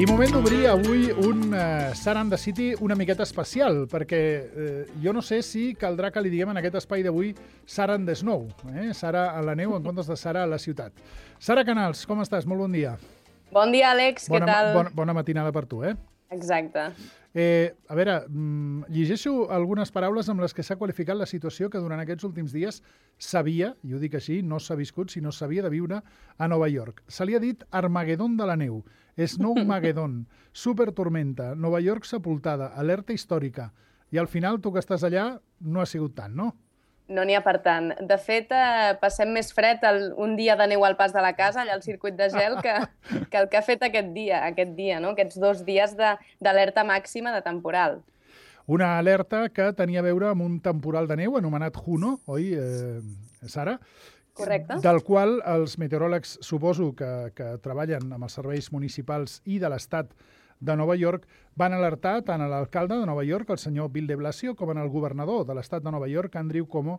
I moment d'obrir avui un Sara and the City una miqueta especial, perquè jo no sé si caldrà que li diguem en aquest espai d'avui Sara and the Snow, Sara a la neu en comptes de Sara a la ciutat. Sara Canals, com estàs? Molt bon dia. Bon dia, Àlex, què tal? Bona matinada per tu, Exacte. A veure, llegeixo algunes paraules amb les que s'ha qualificat la situació que durant aquests últims dies s'havia, i ho dic així, no s'ha viscut, sinó s'havia de viure a Nova York. Se li ha dit Armagedon de la neu, Snowmageddon, Supertormenta, Nova York sepultada, alerta històrica. I al final, tu que estàs allà, no ha sigut tant, no? No n'hi ha per tant. De fet, passem més fred un dia de neu al pas de la casa, allà al circuit de gel, que el que ha fet aquest dia, no? Aquests 2 dies d'alerta màxima de temporal. Una alerta que tenia a veure amb un temporal de neu anomenat Juno, oi, Sara? Correcte. Del qual els meteoròlegs, suposo que treballen amb els serveis municipals i de l'Estat de Nova York, van alertar tant a l'alcalde de Nova York, el senyor Bill de Blasio, com al governador de l'Estat de Nova York, Andrew Cuomo,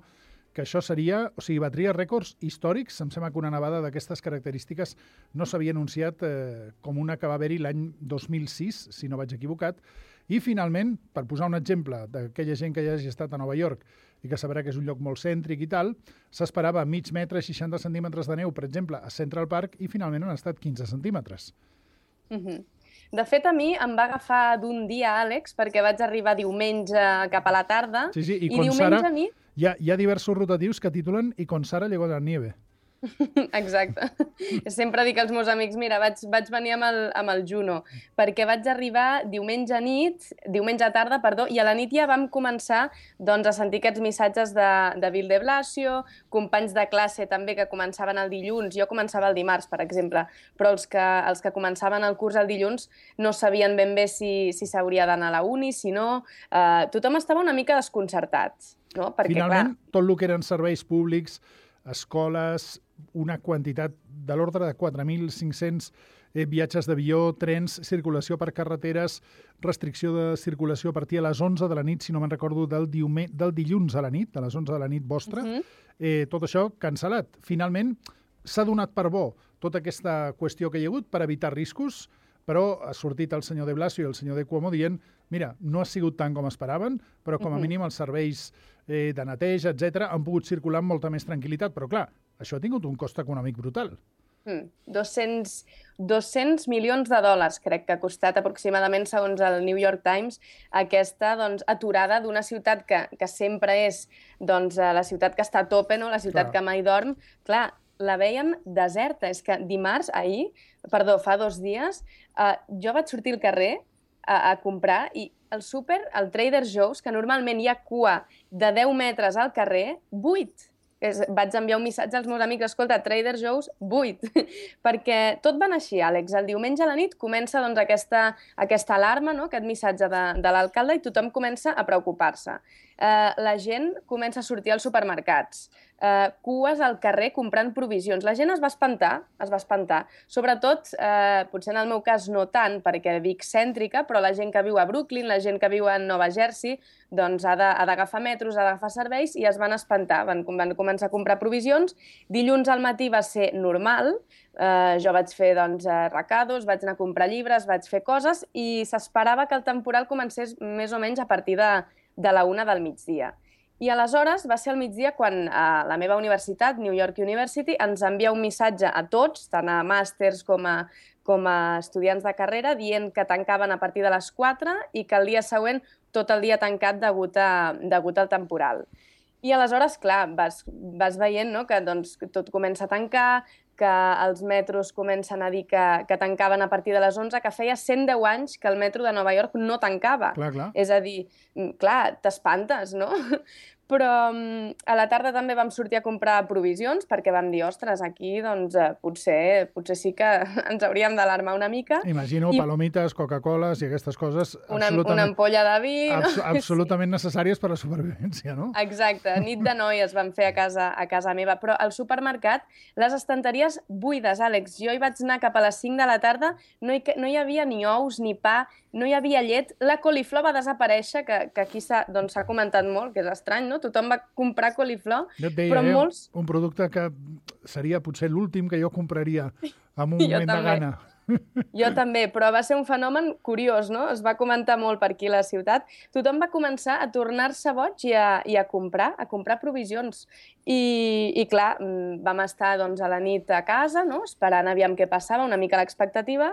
que això seria, batria rècords històrics. Em sembla que una nevada d'aquestes característiques no s'havia anunciat com una que va haver-hi l'any 2006, si no vaig equivocat. I finalment, per posar un exemple d'aquella gent que ja hagi estat a Nova York i que sabrà que és un lloc molt cèntric i tal, s'esperava mig metre, 60 centímetres de neu, per exemple, a Central Park, i finalment han estat 15 centímetres. De fet, a mi em va agafar d'un dia, Àlex, perquè vaig arribar diumenge cap a la tarda. Sí, i diumenge Sara, a nit... hi ha diversos rotatius que titulen «I con Sara llegó la nieve». Exacte. Sempre dic als meus amics, mira, vaig venir amb el Juno, perquè vaig arribar diumenge tarda, i a la nit ja vam començar a sentir aquests missatges de Bill de Blasio, companys de classe també que començaven el dilluns. Jo començava el dimarts, per exemple, però els que començaven el curs el dilluns no sabien ben bé si s'hauria d'anar a la uni, si no... Tothom estava una mica desconcertat, no? Perquè, finalment, tot el que eren serveis públics, escoles, una quantitat de l'ordre de 4.500 viatges d'avió, trens, circulació per carreteres, restricció de circulació a partir de les 11 de la nit, si no me'n recordo, del dilluns a la nit, de les 11 de la nit vostra, tot això cancel·lat. Finalment, s'ha donat per bo tota aquesta qüestió que hi ha hagut per evitar riscos, però ha sortit el senyor de Blasio i el senyor de Cuomo dient mira, no ha sigut tant com esperaven, però com a mínim els serveis de neteja, etc., han pogut circular amb molta més tranquil·litat. Però clar, això ha tingut un cost econòmic brutal. 200 milions de dòlars crec que ha costat aproximadament, segons el New York Times, aquesta aturada d'una ciutat que sempre és la ciutat que està a tope, no? La ciutat que mai dorm. Clar, la veiem deserta. És que fa 2 dies, jo vaig sortir al carrer a comprar i el súper, el Trader Joe's, que normalment hi ha cua de 10 metres al carrer, buit. Vaig enviar un missatge als meus amics, escolta, Trader Joe's, buit. Perquè tot va anar així, Àlex. El diumenge a la nit comença aquesta alarma, no? Aquest missatge de l'alcalde, i tothom comença a preocupar-se. La gent comença a sortir als supermercats, cues al carrer comprant provisions. La gent es va espantar. Sobretot, potser en el meu cas no tant, perquè vic cèntrica, però la gent que viu a Brooklyn, la gent que viu a Nova Jersey, doncs ha d'agafar metros, ha d'agafar serveis, i es van espantar. Van començar a comprar provisions. Dilluns al matí va ser normal. Jo vaig fer recados, vaig anar a comprar llibres, vaig fer coses, i s'esperava que el temporal comencés més o menys a partir de la 1 del migdia. I aleshores va ser al migdia quan la meva universitat, New York University, ens envia un missatge a tots, tant a màsters com a estudiants de carrera, dient que tancaven a partir de les 4 i que el dia següent tot el dia tancat degut al temporal. I aleshores, clar, vas veient, no?, que tot comença a tancar, que els metros comencen a dir que tancaven a partir de les 11, que feia 110 anys que el metro de Nova York no tancava. Clar. És a dir, clar, t'espantes, no? Però a la tarda també vam sortir a comprar provisions perquè vam dir, ostres, aquí potser sí que ens hauríem d'alarmar una mica. Imagino palomites, Coca-Coles i aquestes coses una ampolla de vi. Absolutament necessàries per a la supervivència, no? Exacte. Nit de noies vam fer a casa meva. Però al supermercat, les estanteries buides, Àlex. Jo hi vaig anar cap a les 5 de la tarda, no hi havia ni ous ni pa, no hi havia llet. La coliflor va desaparèixer, que aquí s'ha comentat molt, que és estrany, no? Tothom va comprar coliflor, jo et deia, però molts... un producte que seria potser l'últim que jo compraria en un moment de gana. Jo també, però va ser un fenomen curiós, no? Es va comentar molt per aquí a la ciutat. Tothom va començar a tornar-se boig i a comprar provisions. I clar, vam estar doncs, a la nit a casa, no? Esperant aviam què passava, una mica l'expectativa,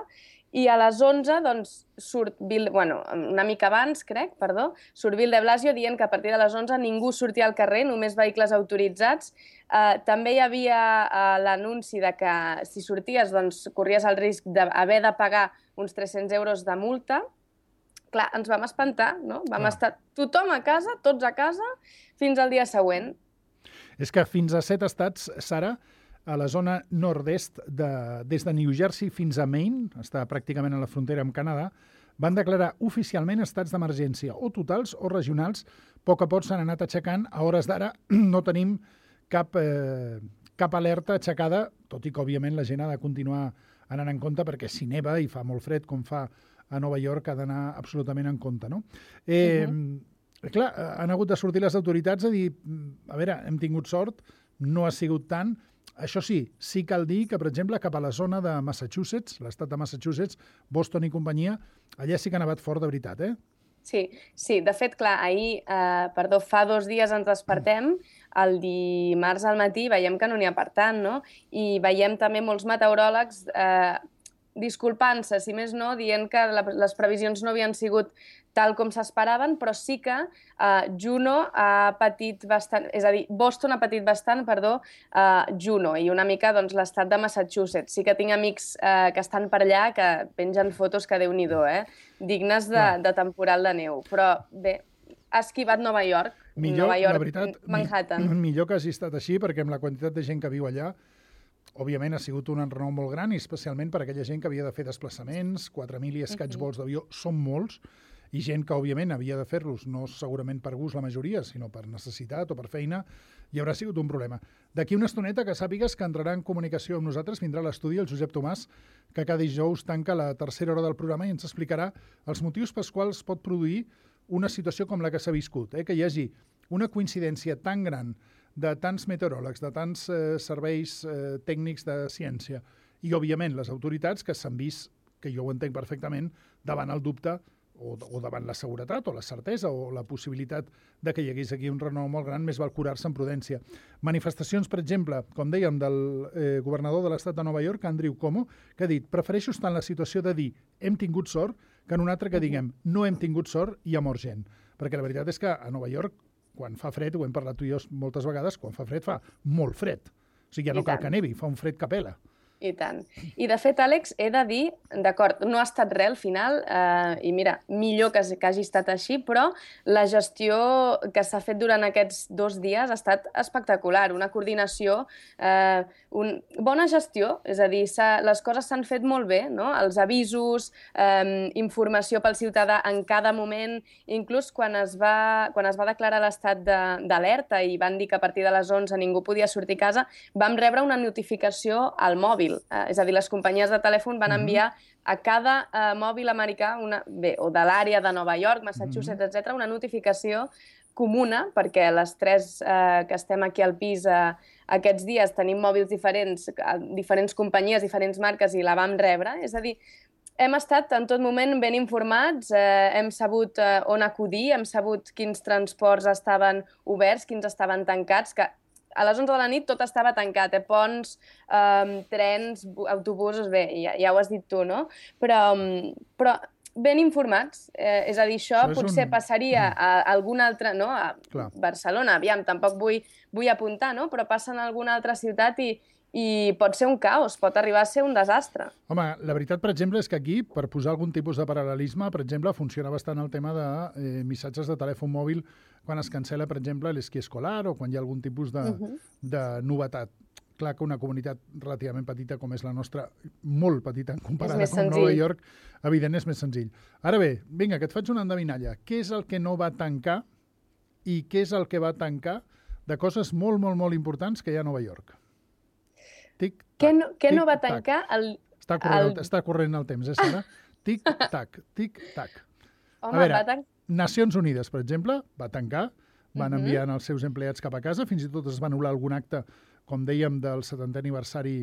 i a les 11, doncs, una mica abans, crec, surt Bill de Blasio dient que a partir de les 11 ningú sortia al carrer, només vehicles autoritzats. També hi havia l'anunci de que si sorties doncs, corries el risc d'haver de pagar uns 300 euros de multa. Clar, ens vam espantar, no? Vam estar tothom a casa, tots a casa, fins al dia següent. És que fins a 7 estats, Sara, a la zona nord-est, des de New Jersey fins a Maine, està pràcticament a la frontera amb Canadà, van declarar oficialment estats d'emergència, o totals o regionals. A poc s'han anat aixecant. A hores d'ara no tenim cap alerta aixecada, tot i que, òbviament, la gent ha de continuar anant en compte, perquè si neva i fa molt fred, com fa a Nova York, ha d'anar absolutament en compte, no? Clar, han hagut de sortir les autoritats a dir, a veure, hem tingut sort, no ha sigut tant. Això sí cal dir que, per exemple, cap a la zona de Massachusetts, l'estat de Massachusetts, Boston i companyia, allà sí que ha nevat fort de veritat, eh? Sí. De fet, clar, fa 2 dies ens despertem, el dimarts al matí veiem que no n'hi ha per tant, no? I veiem també molts meteoròlegs disculpant-se, si més no, dient que les previsions no havien sigut tal com s'esperaven, però sí que Juno ha patit bastant, és a dir, Boston ha patit bastant, Juno, i una mica doncs, l'estat de Massachusetts. Sí que tinc amics que estan per allà que pengen fotos que Déu-n'hi-do, dignes de temporal de neu. Però bé, ha esquivat Nova York, la veritat, Manhattan. Millor que hagi estat així, perquè amb la quantitat de gent que viu allà, òbviament ha sigut un enrenou molt gran, i especialment per aquella gent que havia de fer desplaçaments, 4.000 i escaig vols d'avió, són molts, i gent que, òbviament, havia de fer-los, no segurament per gust la majoria, sinó per necessitat o per feina, i haurà sigut un problema. D'aquí una estoneta, que sàpigues que entrarà en comunicació amb nosaltres, vindrà a l'estudi el Josep Tomàs, que cada dijous tanca la tercera hora del programa i ens explicarà els motius pels quals pot produir una situació com la que s'ha viscut, que hi hagi una coincidència tan gran de tants meteoròlegs, de tants serveis tècnics de ciència i, òbviament, les autoritats que s'han vist, que jo ho entenc perfectament, davant el dubte o davant la seguretat o la certesa o la possibilitat de que hi hagués aquí un renou molt gran, més val curar-se en prudència. Manifestacions, per exemple, com dèiem, del governador de l'estat de Nova York, Andrew Cuomo, que ha dit: prefereixo estar en la situació de dir hem tingut sort que en una altra que diguem no hem tingut sort i ha mort gent. Perquè la veritat és que a Nova York, quan fa fred, ho hem parlat tu i jo moltes vegades, quan fa fred fa molt fred. O sigui, ja no cal que nevi, fa un fred que pela. I tant. I, de fet, Àlex, he de dir, d'acord, no ha estat res al final, i mira, millor que hagi estat així, però la gestió que s'ha fet durant aquests 2 dies ha estat espectacular. Una coordinació, bona gestió, és a dir, les coses s'han fet molt bé, no? Els avisos, informació pel ciutadà en cada moment, inclús quan es va declarar l'estat d'alerta i van dir que a partir de les 11 ningú podia sortir a casa, vam rebre una notificació al mòbil. És a dir, les companyies de telèfon van enviar a cada mòbil americà, o de l'àrea de Nova York, Massachusetts, etc., una notificació comuna, perquè les 3 que estem aquí al pis aquests dies tenim mòbils diferents companyies, diferents marques, i la vam rebre. És a dir, hem estat en tot moment ben informats, hem sabut on acudir, hem sabut quins transports estaven oberts, quins estaven tancats, que a les 11 de la nit tot estava tancat, ponts, trens, autobusos, bé, ja ho has dit tu, no? Però ben informats, és a dir, això potser passaria a algun altre, no? A Barcelona, aviam, tampoc vull apuntar, no? Però passa en alguna altra ciutat i pot ser un caos, pot arribar a ser un desastre. Home, la veritat, per exemple, és que aquí, per posar algun tipus de paral·lelisme, per exemple, funciona bastant el tema de missatges de telèfon mòbil quan es cancela, per exemple, l'esquí escolar o quan hi ha algun tipus de novetat. Clar que una comunitat relativament petita com és la nostra, molt petita en comparada amb Nova York, evident, és més senzill. Ara bé, vinga, que et faig una endevinalla. Què és el que no va tancar i què és el que va tancar de coses molt, molt, molt importants que hi ha a Nova York? Què no va tancar? Està corrent el temps, Sara? Tic-tac, tic-tac. Home, va tancar. Nacions Unides, per exemple, va tancar, van enviant els seus empleats cap a casa, fins i tot es va anul·lar algun acte, com dèiem, del 70è aniversari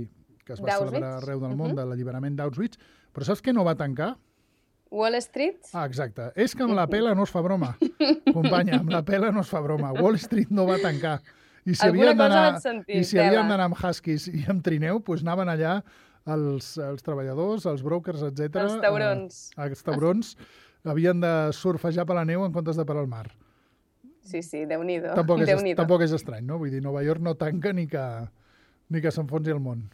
que es va celebrar arreu del món, de l'alliberament d'Auschwitz, però saps què no va tancar? Wall Street? Ah, exacte. És que amb la pela no es fa broma. Companya, amb la pela no es fa broma. Wall Street no va tancar. I si Alguna cosa vaig sentir, havien d'anar amb huskies i amb trineu, doncs anaven allà els treballadors, els brokers, etc. Els taurons. Els taurons havien de surfejar per la neu en comptes de per al mar. Sí, Déu-n'hi-do. Tampoc és estrany, no? Vull dir, Nova York no tanca ni que s'enfonsi el món.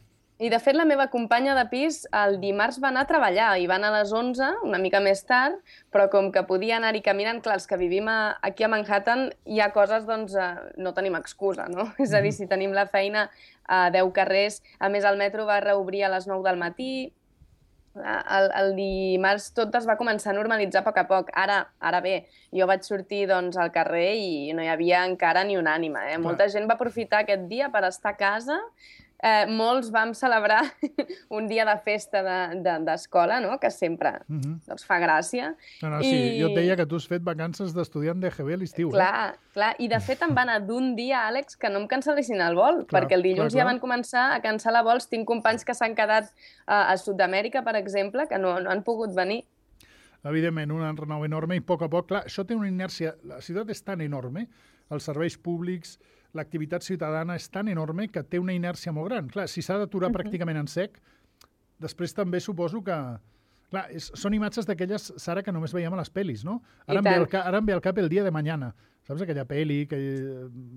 I, de fet, la meva companya de pis el dimarts va anar a treballar i va anar a les 11, una mica més tard, però com que podia anar-hi caminant, clar, els que vivim aquí a Manhattan hi ha coses, doncs, no tenim excusa, no? És a dir, si tenim la feina a 10 carrers, a més el metro va reobrir a les 9 del matí, el dimarts tot es va començar a normalitzar a poc a poc. Ara bé, jo vaig sortir doncs, al carrer i no hi havia encara ni una ànima. Molta gent va aprofitar aquest dia per estar a casa. Molts vam celebrar un dia de festa d'escola, no? Que sempre doncs, fa gràcia. Sí, jo et deia que tu has fet vacances d'estudiant d'EGB a l'estiu. Clar, i de fet em va anar d'un dia, Àlex, que no em cancel·lessin el vol, perquè el dilluns ja van començar a cancel·lar vols. Tinc companys que s'han quedat a Sud-amèrica, per exemple, que no han pogut venir. Evidentment, un renou enorme i a poc, clar, això té una inèrcia. La ciutat és tan enorme, els serveis públics, l'activitat ciutadana és tan enorme que té una inèrcia molt gran. Clar, si s'ha d'aturar pràcticament en sec, després també suposo que... Clar, són imatges d'aquelles, Sara, que només veiem a les pel·lis, no? Ara em ve al cap El dia de mañana. Saps aquella pel·li que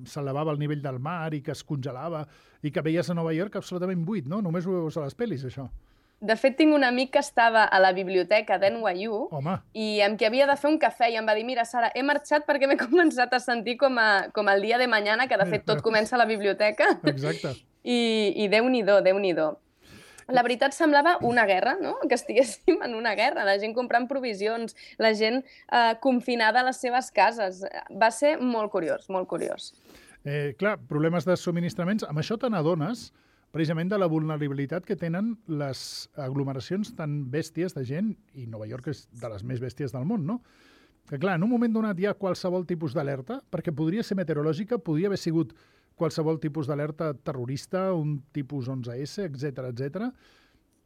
s'elevava al nivell del mar i que es congelava i que veies a Nova York absolutament buit, no? Només ho veus a les pel·lis, això. De fet, tinc un amic que estava a la biblioteca d'NYU i amb qui havia de fer un cafè i em va dir, mira, Sara, he marxat perquè m'he començat a sentir com el dia de mañana, que de fet tot comença a la biblioteca. Exacte. I Déu-n'hi-do, Déu-n'hi-do. La veritat semblava una guerra, no? Que estiguéssim en una guerra, la gent comprant provisions, la gent confinada a les seves cases. Va ser molt curiós, molt curiós. Clar, problemes de subministraments. Amb això te n'adones precisament de la vulnerabilitat que tenen les aglomeracions tan bèsties de gent, i Nova York és de les més bèsties del món, no? Que clar, en un moment donat hi ha qualsevol tipus d'alerta, perquè podria ser meteorològica, podria haver sigut qualsevol tipus d'alerta terrorista, un tipus 11S, etc.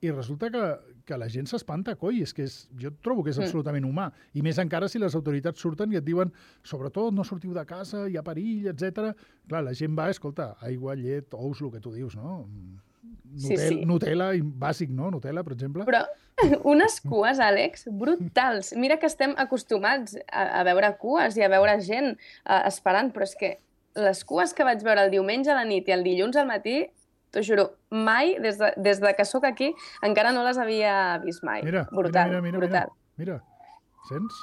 I resulta que la gent s'espanta, coi, és que jo trobo que és absolutament humà. I més encara si les autoritats surten i et diuen, sobretot, no sortiu de casa, hi ha perill, etc. Clar, la gent va, escolta, aigua, llet, ous, el que tu dius, no? Nutella, bàsic, no? Nutella, per exemple. Però unes cues, Àlex, brutals. Mira que estem acostumats a veure cues i a veure gent esperant, però és que les cues que vaig veure el diumenge a la nit i el dilluns al matí, t'ho juro, mai, des de que sóc aquí, encara no les havia vist mai. Brutal. Mira, sents?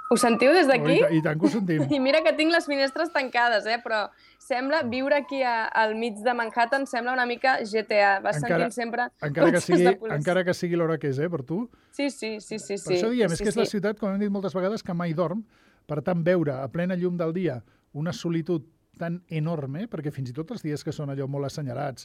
Ho sentiu des d'aquí? I tant que ho sentim. I mira que tinc les finestres tancades, però sembla viure aquí al mig de Manhattan, sembla una mica GTA. Vas sentint sempre cotxes de policia. Encara que sigui l'hora que és, per tu? Sí. Per això diem, és que és la ciutat, com hem dit moltes vegades, que mai dorm. Per tant, veure a plena llum del dia una solitud tan enorme, perquè fins i tot els dies que són allò molt assenyalats,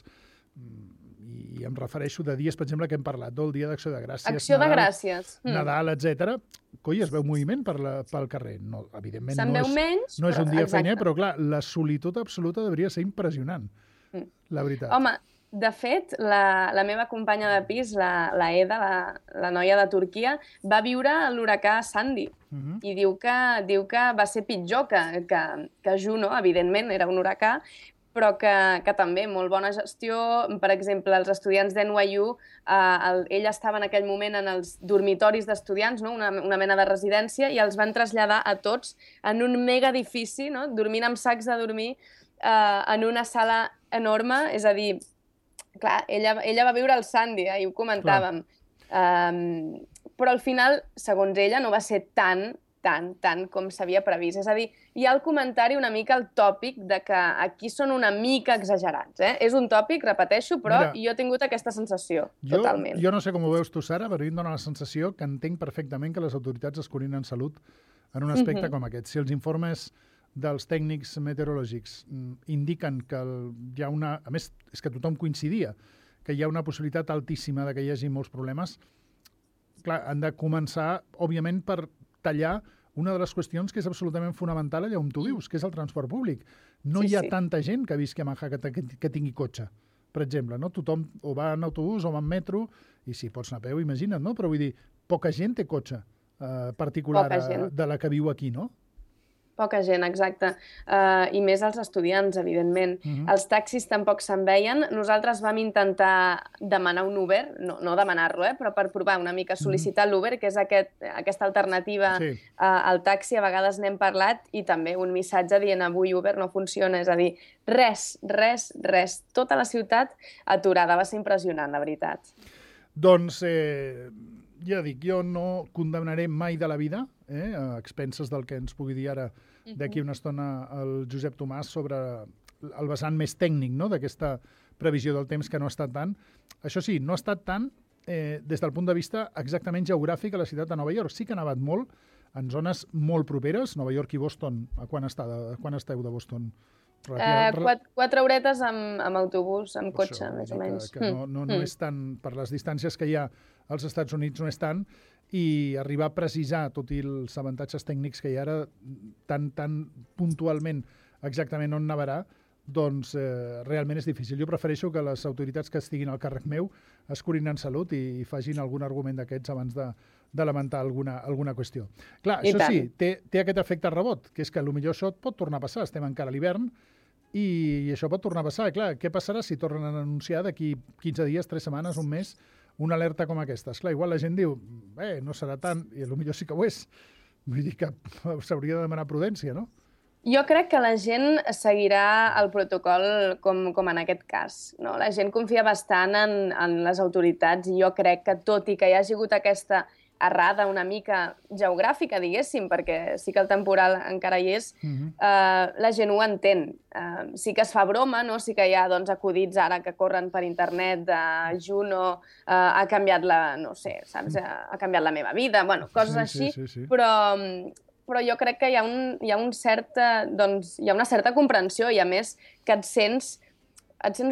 i em refereixo de dies, per exemple, que hem parlat, del dia d'Acció de Gràcies, Acció de Gràcies. Nadal, etc. Coi, es veu moviment pel carrer. No, evidentment, se'n veu menys, no és un dia feiner, però clar, la solitud absoluta hauria ser impressionant, la veritat. Home, de fet, la meva companya de pis, la Eda, la noia de Turquia, va viure l'huracà Sandy i diu que va ser pitjor que Juno, evidentment, era un huracà, però que també molt bona gestió. Per exemple, els estudiants d'NYU, ell estava en aquell moment en els dormitoris d'estudiants, no? una mena de residència, i els van traslladar a tots en un mega edifici, no? Dormint amb sacs de dormir en una sala enorme, és a dir, clar, ella va viure el Sandy, ahir ho comentàvem. Però al final, segons ella, no va ser tant com s'havia previst. És a dir, hi ha el comentari una mica el tòpic de que aquí són una mica exagerats. És un tòpic, repeteixo, però jo he tingut aquesta sensació, totalment. Jo no sé com ho veus tu, Sara, però a mi em dóna la sensació que entenc perfectament que les autoritats es curin en salut en un aspecte com aquest. Si els informes dels tècnics meteorològics indiquen que hi ha una... A més, és que tothom coincidia que hi ha una possibilitat altíssima de que hi hagi molts problemes. Clar, han de començar, òbviament, per tallar una de les qüestions que és absolutament fonamental allà on tu dius, que és el transport públic. No hi ha tanta gent que visqui a Manhattan que tingui cotxe, per exemple, no? Tothom o va en autobús o va en metro, i si pots anar a peu, imagina't, no? Però vull dir, poca gent té cotxe particular de la que viu aquí, no? Poca gent, exacte. I més els estudiants, evidentment. Els taxis tampoc se'n veien. Nosaltres vam intentar demanar un Uber, no demanar-lo, però per provar una mica, sol·licitar l'Uber, que és aquesta alternativa al taxi. A vegades n'hem parlat, i també un missatge dient avui Uber no funciona. És a dir, res. Tota la ciutat aturada. Va ser impressionant, la veritat. Doncs, ja dic, jo no condemnaré mai de la vida, a expenses del que ens pugui dir ara d'aquí una estona el Josep Tomàs sobre el vessant més tècnic, no?, d'aquesta previsió del temps, que no ha estat tant. Això sí, no ha estat tant des del punt de vista exactament geogràfic a la ciutat de Nova York. Sí que ha nevat molt en zones molt properes, Nova York i Boston. A quan esteu de Boston? 4 horetes amb autobús, amb cotxe, més o menys. Que no és tant, per les distàncies que hi ha als Estats Units, no és tant, i arribar a precisar, tot i els avantatges tècnics que hi ha ara, tan puntualment exactament on nevarà, doncs realment és difícil. Jo prefereixo que les autoritats que estiguin al càrrec meu es curin en salut i facin algun argument d'aquests abans de lamentar alguna qüestió. Clar, això sí, té aquest efecte rebot, que és que potser això et pot tornar a passar. Estem encara a l'hivern i això pot tornar a passar. Clar, què passarà si tornen a anunciar d'aquí 15 dies, 3 setmanes, un mes, una alerta com aquesta? Esclar, igual la gent diu, no serà tant, i potser sí que ho és. Vull dir que s'hauria de demanar prudència, no? Jo crec que la gent seguirà el protocol com en aquest cas, no? La gent confia bastant en les autoritats, i jo crec que, tot i que hi hagi hagut aquesta errada una mica geogràfica, diguéssim, perquè sí que el temporal encara hi és, la gent ho entén. Sí que es fa broma, no? Sí que hi ha acudits ara que corren per internet de Juno, ha canviat no sé, saps? Ha canviat la meva vida, bueno, coses així, però jo crec que hi ha una certa comprensió, i a més que et sents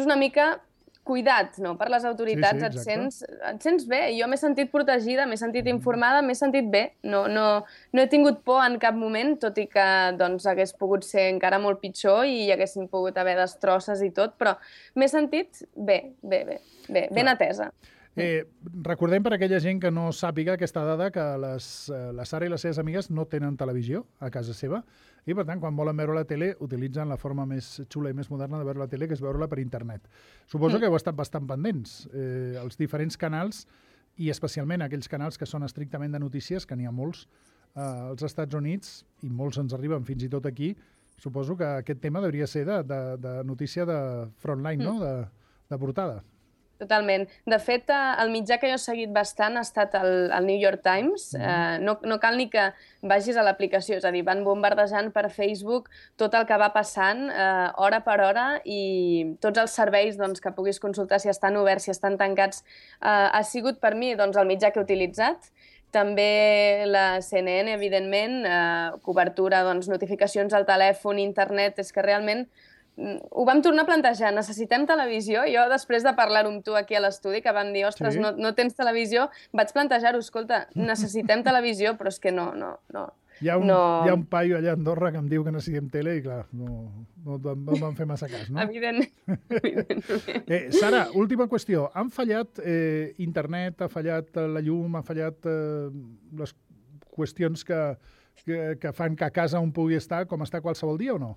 una mica cuidat, no?, per les autoritats, et sents bé. Jo m'he sentit protegida, m'he sentit informada, m'he sentit bé. No he tingut por en cap moment, tot i que hagués pogut ser encara molt pitjor i hi haguessin pogut haver destrosses i tot, però m'he sentit bé, ben atesa. Recordem per aquella gent que no sàpiga aquesta dada que la Sara i les seves amigues no tenen televisió a casa seva, i per tant, quan volen veure la tele, utilitzen la forma més xula i més moderna de veure la tele, que és veure-la per internet. Suposo que heu estat bastant pendents. Els diferents canals, i especialment aquells canals que són estrictament de notícies, que n'hi ha molts als Estats Units, i molts ens arriben fins i tot aquí, suposo que aquest tema hauria ser de notícia de frontline, no?, de portada. Totalment. De fet, el mitjà que jo he seguit bastant ha estat el New York Times. No cal ni que vagis a l'aplicació, és a dir, van bombardejant per Facebook tot el que va passant hora per hora, i tots els serveis que puguis consultar, si estan oberts, si estan tancats, ha sigut per mi el mitjà que he utilitzat. També la CNN, evidentment, cobertura, notificacions al telèfon, internet, és que realment ho vam tornar a plantejar, necessitem televisió? Jo, després de parlar-ho amb tu aquí a l'estudi, que vam dir, ostres, no tens televisió, vaig plantejar-ho, escolta, necessitem televisió, però és que no. Hi ha un paio allà a Andorra que em diu que necessitem tele i, clar, no van fer massa cas, no? Evidentment. Sara, última qüestió. Han fallat internet, ha fallat la llum, ha fallat les qüestions que fan que a casa un pugui estar com està qualsevol dia o no?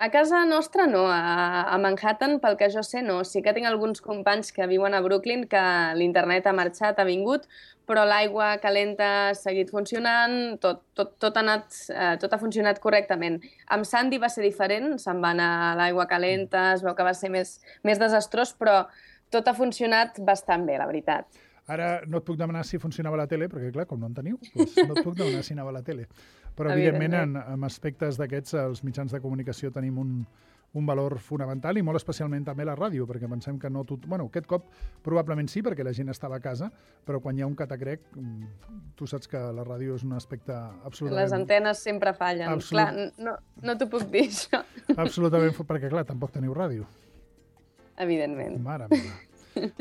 A casa nostra no, a Manhattan, pel que jo sé, no. Sí que tinc alguns companys que viuen a Brooklyn que l'internet ha marxat, ha vingut, però l'aigua calenta ha seguit funcionant, tot ha funcionat correctament. Amb Sandy va ser diferent, se'n va anar l'aigua calenta, es veu que va ser més desastrós, però tot ha funcionat bastant bé, la veritat. Ara no et puc demanar si funcionava la tele, perquè clar, com no en teniu, doncs no et puc demanar si anava a la tele. Però evidentment en aspectes d'aquests els mitjans de comunicació tenim un valor fonamental, i molt especialment també la ràdio, perquè pensem que no tot... Bueno, aquest cop probablement sí, perquè la gent estava a casa, però quan hi ha un catacrec, tu saps que la ràdio és un aspecte absolutament... Les antenes sempre fallen. Clar, no t'ho puc dir, això. Absolutament, perquè clar, tampoc teniu ràdio. Evidentment. Mare meva.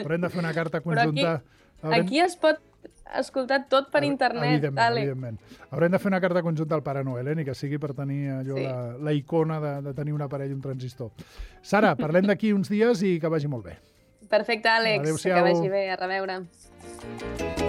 Haurem de fer una carta conjunta... Aquí es pot escoltar tot per internet. Evidentment. Haurem de fer una carta conjunta al Pare Noel, ni que sigui per tenir allò la icona de tenir un aparell, un transistor. Sara, parlem d'aquí uns dies i que vagi molt bé. Perfecte, Àlex. Adéu-siau. Que vagi bé. A reveure.